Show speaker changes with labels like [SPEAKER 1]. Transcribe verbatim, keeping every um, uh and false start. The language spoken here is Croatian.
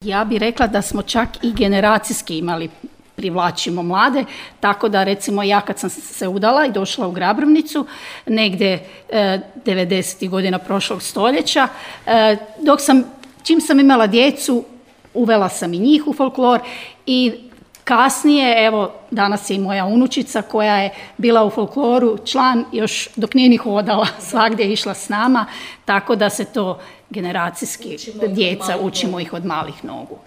[SPEAKER 1] Ja bih rekla da smo čak i generacijski imali, privlačimo mlade, tako da recimo ja kad sam se udala i došla u Grabrovnicu, negdje e, devedesetih godina prošlog stoljeća, e, dok sam, čim sam imala djecu, uvela sam i njih u folklor i kasnije, evo danas je i moja unučica koja je bila u folkloru član još dok nije ni hodala, svagdje je išla s nama, tako da se to generacijski, djeca učimo ih od malih nogu.